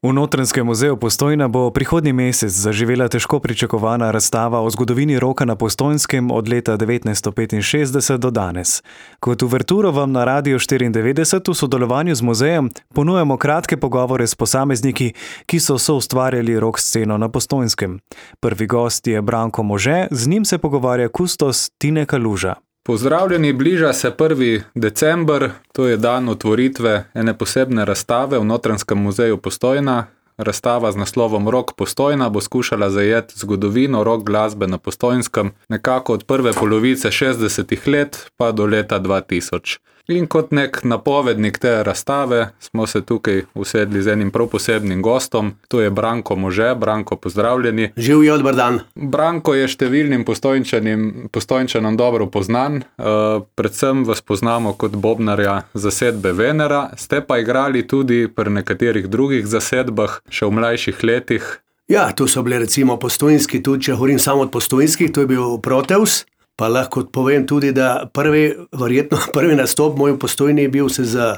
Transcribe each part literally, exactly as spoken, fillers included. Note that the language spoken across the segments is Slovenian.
V Notranjskem muzeju Postojna bo prihodnji mesec zaživela težko pričakovana razstava o zgodovini roka na Postojnskem od leta devetnajststo petinšestdeset do danes. Kot uverturo vam na Radiu štiriindevetdeset v sodelovanju z muzejem ponujamo kratke pogovore s posamezniki, ki so soustvarjali rock sceno na Postojnskem. Prvi gost je Branko Može, z njim se pogovarja kustos Tine Kaluža. Pozdravljeni, bliža se prvi december, to je dan otvoritve ene posebne razstave v Notranjskem muzeju Postojna. Razstava z naslovom Rock Postojna bo skušala zajeti zgodovino rock glasbe na Postojnskem nekako od prve polovice šestdesetih let pa do leta dva tisoč. In kot nek napovednik te razstave smo se tukaj usedli z enim prav posebnim gostom, to je Branko Može. Branko, pozdravljeni. Živjo, dober dan. Branko je številnim Postojnčanim, Postojnčanom dobro poznan, uh, predvsem vas poznamo kot bobnarja zasedbe Venera, ste pa igrali tudi pri nekaterih drugih zasedbah, še v mlajših letih. Ja, tu so bile recimo Postojnski, tudi če govorim samo od Postojnskih, to je bil Proteus. Pa lahko povem tudi, da prvi, verjetno prvi nastop moj v Postojni je bil se z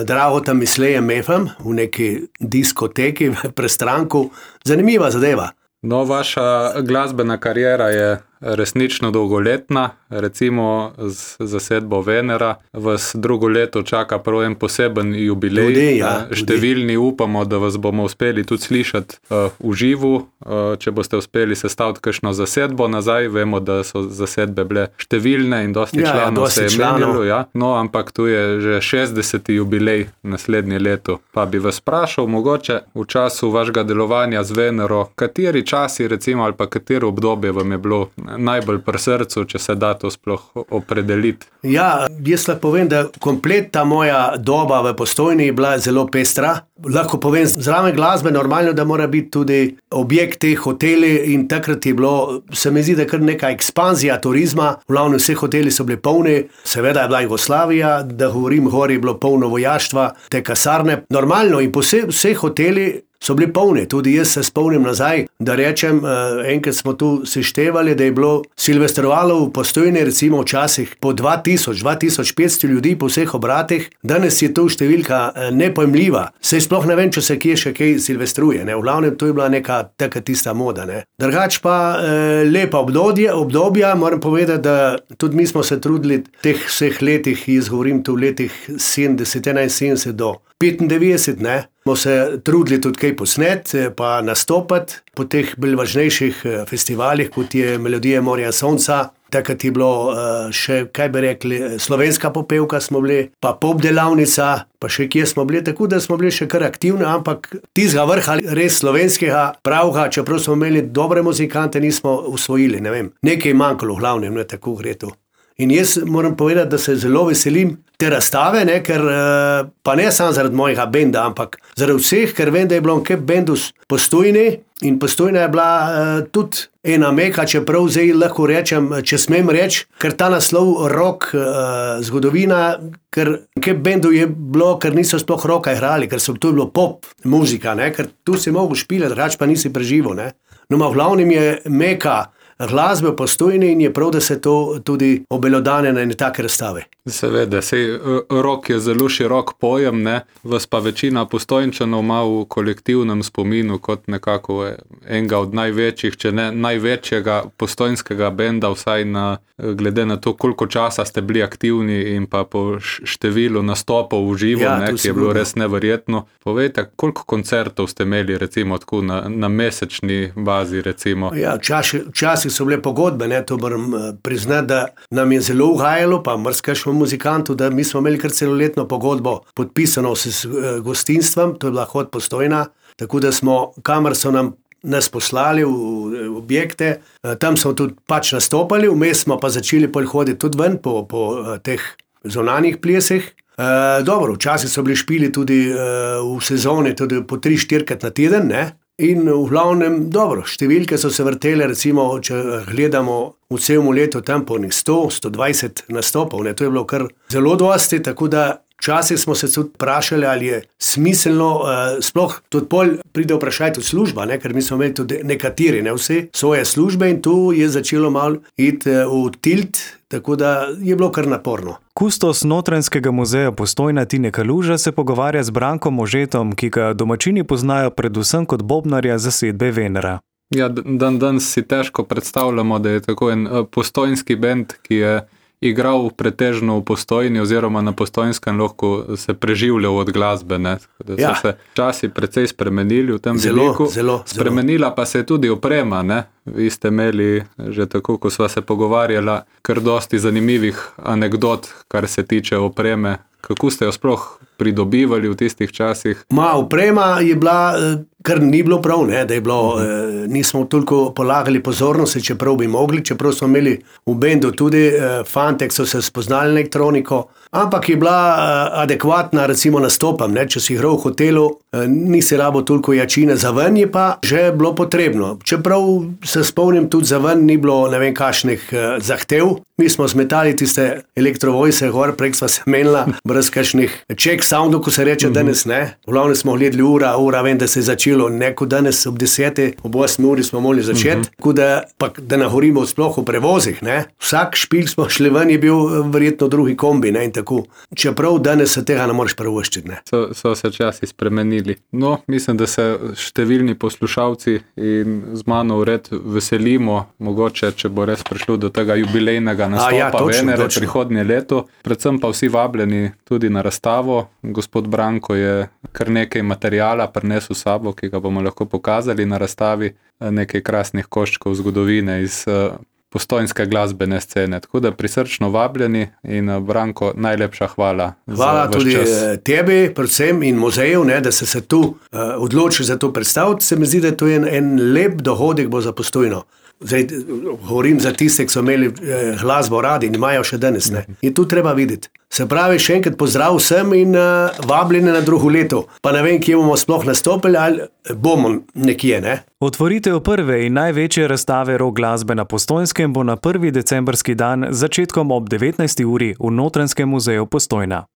Dragotom Mislejem Mefem v neki diskoteki v Prestranku. Zanimiva zadeva. No, vaša glasbena kariera je resnično dolgoletna, recimo z zasedbo Venera vas drugo leto čaka prav en poseben jubilej. Tudi, ja, Številni tudi upamo, da vas bomo uspeli tudi slišati uh, v živu, uh, če boste uspeli sestaviti kakšno zasedbo nazaj. Vemo, da so zasedbe bile številne in dosti ja, članov ja, se je menjalo, ja. No, ampak tu je že šestdeseti jubilej naslednje leto. Pa bi vas sprašal, mogoče v času vašega delovanja z Venero, kateri časi recimo ali pa katero obdobje vam je bilo najbolj pri srcu, če se da to sploh opredeliti? Ja, jaz lahko povem, da komplet ta moja doba v Postojni je bila zelo pestra. Lahko povem, zraven glasbe normalno, da mora biti tudi objekt teh hoteli in takrat je bilo, se mi zdi, da kar neka ekspanzija turizma, v glavnem vse hoteli so bili polni, seveda je bila Jugoslavija, da govorim, gori je bilo polno vojaštva, te kasarne, normalno in vse, vse hoteli so bili polni, tudi jaz se spomnim nazaj, da rečem, enkrat smo tu seštevali, da je bilo silvestrovalo v Postojni recimo včasih po dva tisoč, dva tisoč petsto ljudi po vseh obratih, danes je to številka nepojmljiva, saj sploh ne vem, če se kje še kaj silvestruje, ne? V glavnem to je bila neka taka tista moda, ne? Drugač pa eh, lepa obdobje, obdobja, moram povedati, da tudi mi smo se trudili teh vseh letih, jaz govorim tu v letih sedemdeset, enainsedemdeset do petindevetdeset, ne? Smo se trudili tudi kaj posneti, pa nastopati po teh bolj važnejših festivalih, kot je Melodija morja sonca. Takrat je bilo še, kaj bi rekli, slovenska popevka smo bili, pa pop delavnica, pa še kje smo bili, tako da smo bili še kar aktivni, ampak tistega vrha res slovenskega pravga, čeprav smo imeli dobre muzikante, nismo usvojili, ne vem. Nekaj manjkalo v glavnem, ne, tako gre to. In jaz moram povedati, da se zelo veselim te razstave, ne, ker pa ne samo zaradi mojega benda, ampak zaradi vseh, ker vem, da je bilo nekaj bendus Postojni in Postojna je bila uh, tudi ena meka, čeprav zdaj lahko rečem, če smem reči, ker ta naslov rock uh, zgodovina, ker nekaj bendu je bilo, ker niso sploh rocka igrali, ker so to bilo pop muzika, ne, ker tu si mogel špilati, drugač pa nisi preživel, ne. No, ma v glavnem je meka glasbe v Postojni in je prav, da se to tudi obelodane na ene take razstave. Seveda, sej rock je zelo širok pojem, ne, vas pa večina Postojnčanov ima v kolektivnem spominu kot nekako enega od največjih, če ne največjega postojnskega benda, vsaj na, glede na to, koliko časa ste bili aktivni in pa po številu nastopov v živo, ja, ne, ki je bilo res neverjetno. Povejte, koliko koncertov ste imeli recimo tako na, na mesečni bazi recimo? Ja, včasih, včasih so bile pogodbe, ne, to moram priznati, da nam je zelo ugajalo, pa mrzkašmo muzikantu, da mi smo imeli kar celoletno pogodbo podpisano s gostinstvom, to je bila Hod Postojna, tako da smo, kamor so nam nas poslali v objekte, tam smo tudi pač nastopali, vmes smo pa začeli pol hoditi tudi ven po, po teh zunanjih plesih. E, dobro, včasih so bili špili tudi e, v sezoni, tudi po tri, štirikrat na teden, ne? In v glavnem, dobro, številke so se vrtele, recimo, če gledamo v celem letu tam po sto, sto dvajset nastopov, ne, to je bilo kar zelo dosti, tako da Včasih smo se tudi vprašali, ali je smiselno, uh, sploh tudi pol pride vprašaj tudi služba, ne? Ker mi smo imeli tudi nekateri, ne vsi, svoje službe in tu je začelo malo iti uh, v tilt, tako da je bilo kar naporno. Kustos Notranjskega muzeja Postojna Tine Kaluža se pogovarja z Brankom Možetom, ki ga domačini poznajo predvsem kot bobnarja zasedbe Venera. Ja, dan danes si težko predstavljamo, da je tako en postojnski bend, ki je igral pretežno v Postojni oziroma na Postojnskem lahko se preživljal od glasbe. Ne? Da so ja. se časi precej spremenili v tem veliku. Zelo, zelo. Spremenila pa se je tudi oprema. Ne? Vi ste imeli že tako, ko sva se pogovarjala, kar dosti zanimivih anegdot, kar se tiče opreme. Kako ste jo sploh pridobivali v tistih časih? Ma, oprema je bila, kar ni bilo prav, ne, da je bilo, uh -huh. nismo toliko polagali pozornosti, čeprav bi mogli, čeprav smo imeli v bendu tudi fante, ki so se spoznali elektroniko, ampak je bila adekvatna, recimo nastopam, ne, če si igral v hotelu, nisi rabo toliko jačine, za ven je pa že bilo potrebno. Čeprav se spomnim, tudi za ven ni bilo ne vem kakšnih zahtev, mi smo zmetali tiste elektrovojse gor, prek sva se menila, brez kakšnih check soundov, ko se reče uh -huh. danes, ne. V glavnem smo gledali ura, ura, vem, da se je začelo, neko danes ob deseti, ob osmi uri smo mogli začeti, uh -huh. tako da, pa, da nahorimo sploh v prevozih, ne. Vsak špil smo šli ven, je bil verjetno drugi kombi, ne, in tako. Čeprav danes se tega ne moreš prvoščiti, ne. So, so se časi spremenili. No, mislim, da se številni poslušalci in z mano vred veselimo, mogoče, če bo res prišlo do tega jubilejnega nastopa ja, Venere prihodnje leto. Predvsem pa vsi vabljeni tudi na razstavo. Gospod Branko je kar nekaj materijala prinesel s sabo, ki ga bomo lahko pokazali na razstavi, nekaj krasnih koščkov zgodovine iz postojnske glasbene scene. Tako da prisrčno vabljeni in Branko, najlepša hvala. Hvala tudi čas. Tebi, predvsem in muzeju, ne, da se se tu uh, odloči za to predstaviti. Se mi zdi, da to je en, en lep dohodek bo za Postojno. Zdaj, govorim za tiste, ki so imeli eh, glasbo radi in imajo še danes. Ne. In tu treba videti. Se pravi, še enkrat pozdrav vsem in uh, vabljeni na drugo leto. Pa ne vem, kje bomo sploh nastopili, ali bomo nekje, ne? Otvoritev prve in največje razstave rock glasbe na Postojnskem bo na prvi decembrski dan z začetkom ob devetnajsti uri v Notranjskem muzeju Postojna.